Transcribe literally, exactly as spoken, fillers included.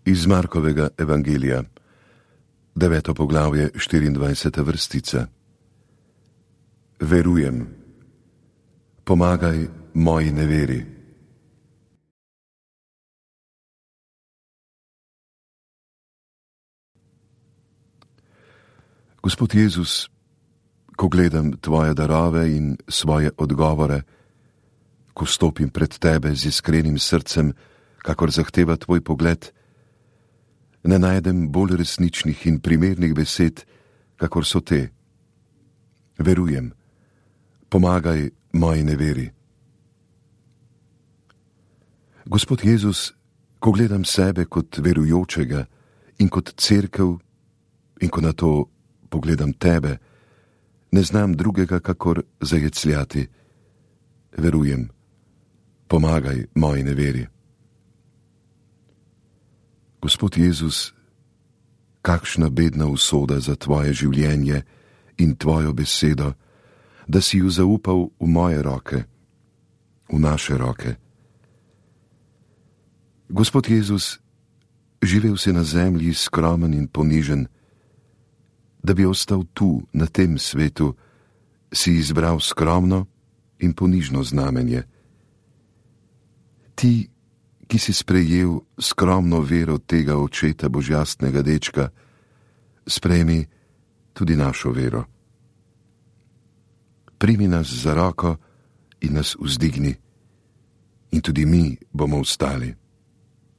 Iz Markovega evangelija, deveto poglavje, štiriindvajseta vrstica. Verujem, pomagaj moji neveri. Gospod Jezus, ko gledam tvoje darove in svoje odgovore, ko stopim pred tebe z iskrenim srcem, kakor zahteva tvoj pogled, ne najdem bolj resničnih in primernih besed, kakor so te. Verujem, pomagaj moji neveri. Gospod Jezus, ko gledam sebe kot verujočega in kot cerkev in ko na to pogledam tebe, ne znam drugega, kakor zajecljati. Verujem, pomagaj moji neveri. Gospod Jezus, kakšna bedna usoda za tvoje življenje in tvojo besedo, da si ju zaupal v moje roke, v naše roke. Gospod Jezus, živel si na zemlji skromen in ponižen, da bi ostal tu, na tem svetu, si izbral skromno in ponižno znamenje. Ti, ki si sprejel skromno vero tega očeta božjastnega dečka, sprejmi tudi našo vero. Primi nas za roko in nas vzdigni, in tudi mi bomo vstali.